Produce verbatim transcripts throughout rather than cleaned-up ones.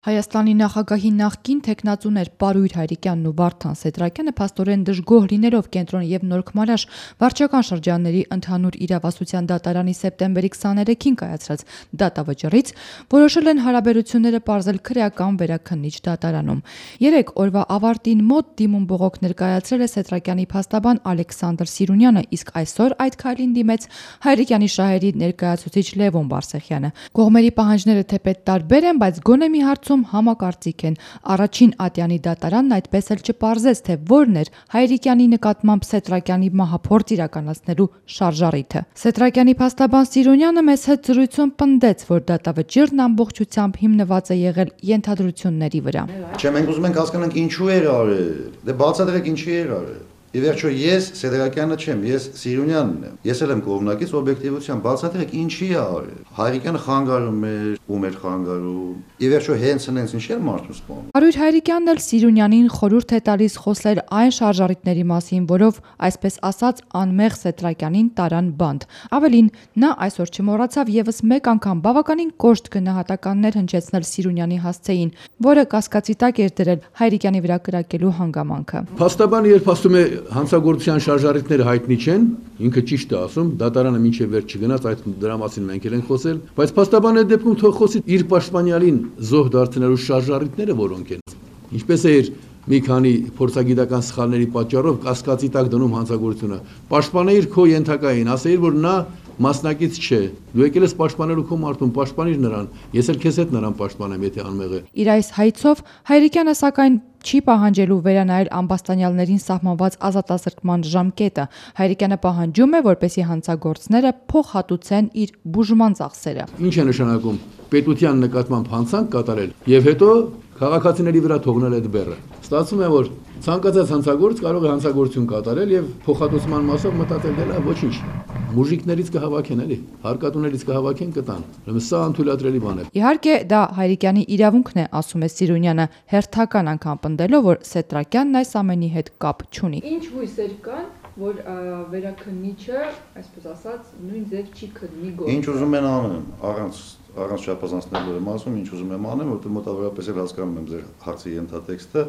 Հայաստանի նախագահի նախկին թեկնածուներ Պարույր Հայրիկյանն ու Վարդան Սեդրակյանը փաստորեն դժգոհ լինելով Կենտրոն և Նորքմարաշ վարչական շրջանների ընդհանուր իրավասության դատարանի սեպտեմբերի քսաներեքին կայացրած դատավճռից որոշել են հարաբերությունները պարզել քրեական վերաքննիչ դատարանում։ Երեք օրվա ավարտին մոտ դիմում բողոք ներկայացրել է Սեդրակյանի փաստաբան Ալեքսանդր Սիրունյանը, իսկ այսօր այդ քայլին դիմեց Հայրիկյանի շահերի ներկայացուցիչ Լևոն Բարսեղյանը։ Կողմերի պահանջները թեպետ տարբեր են, բայց գոնե մի հարցում համակարծիք են։ Առաջին ատյանի դատարանն այդպես էլ չպարզեց, թե որն էր Հայրիկյանի նկատմամբ Սեդրակյանի մահափորձ իրականացնելու շարժառիթը։ Սեդրակյանի փաստաբան Սիրունյանը մեծ հետ զրույցում պնդեց, որ դատավճիռն ամբողջությամբ հիմնված է եղել ենթադրությունների վրա։ Չէ, մենք ուզում ենք հասկանանք ինչու էր արել։ Դե բացատրեք ինչի էր արել։ Ի վերջո ես Սեդրակյանը չեմ, ես Սիրունյանն եմ։ Ես էլ եմ կողմնակից օբյեկտիվության, բացատրեք ինչի է արել։ Հայրիկյանը խանգարում էր, ում էր խանգարում։ Ի վերջո հենց հենց ինչ էր մարդու սպանում։ Պարույր Հայրիկյանն էլ Սիրունյանին խորհուրդ է տալիս խոսել այն շարժառիթների մասին, որով, այսպես ասած, անմեղ Սեդրակյանին տարան բանտ։ Ավելին, նա այսօր չմոռացավ եւս մեկ անգամ բավականին կոշտ գնահատականներ հնչեցնել Սիրունյանի հասցեին, որը կասկածի տակ էր դրել Հայրիկյանի վրա կրակելու հանգամանքը։ Փաստաբանը երբ ասում է հանցագործության շարժառիթները հայտնի չեն, ինքը ճիշտ է ասում, դատարանը մինչև վերջ չգնաց, այդ դրա մասին մենք էլ ենք խոսել, բայց փաստաբանը այդ դեպքում թող խոսի իր պաշտպանյալին զոհ դարձնելու շարժառիթները որոնք են։ Ինչպես է իր մի քանի փորձագիտական սխալների պատճառով կասկածի տակ դնում հանցագործությունը։ Պաշտպանեիր քո ենթակային, ասեիր, որ նա մասնակից չէ։ Դու եկել ես պաշտպանելու քո մարդուն, պաշտպանիր նրան։ Ես էլ քեզ հետ նրան պաշտպանեմ, եթե անմեղ է։ Իր այս հայցով Հայրիկյանը սակայն չի պահանջելու վերանայել ամբաստանյալներին սահմանված ազատազրկման ժամկետը։ Հայրիկյանը պահանջում է, որպեսզի հանցագործները փոխհատուցեն իր բուժման ծախսերը։ Ինչ է նշանակում պետության նկատմամբ հանցանք կատարել եւ հետո քաղաքացիների վրա թողնել այդ բեռը։ Ստացվում է, որ ցանկացած հանցագործ կարող է հանցագործություն կատարել եւ փոխհատուցման մասով մտածել դելա ոչինչ։ Մուժիկներից կհավաքեն էլի, հարկատուներից կհավաքեն կտան։ Ուրեմն սա անթույլատրելի բան է։ Իհարկե, դա Հայրիկյանի իրավունքն է, ասում է Սիրունյանը, հերթական անգամ պնդելով, որ Սեդրակյանն այս ամենի հետ կապ չունի։ Ինչ հույսեր կան, որ վերաքննիչը, այսպես ասած, նույն ձև չի քննի գործը։ Ինչ ուզում են անեն, առանց առանց շապազանցնելու եմ ասում, ինչ ուզում եմ անեմ, որտեղ մոտավորապես էլ հասկանում եմ ձեր հարցի ենթատեքստը։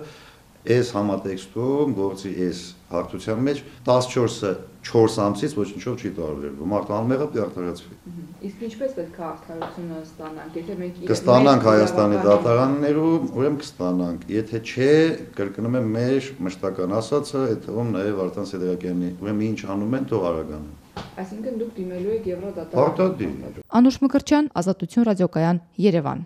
Այս համատեքստում գործի այս հարթության մեջ տասնչորսը չորս ամսից ոչինչով չի տարբերվում։ Մարդը անմեղը պարտարացվի։ Իսկ ինչպես պետք է արդարությունը ստանանք, եթե մենք կստանանք Հայաստանի դատարաններում, ուրեմն կստանանք։ Եթե չէ, կրկնում եմ մեր մշտական ասածը, այդ թվում նաև Վարդան Սեդրակյանի, ուրեմն ինչ անում են, թող արագանան։ Այսինքն դուք դիմելու եք Եվրոդատարան։ Պարտադիր։ Անուշ Մկրտչյան, Ազատություն ռադիոկայան, Երևան։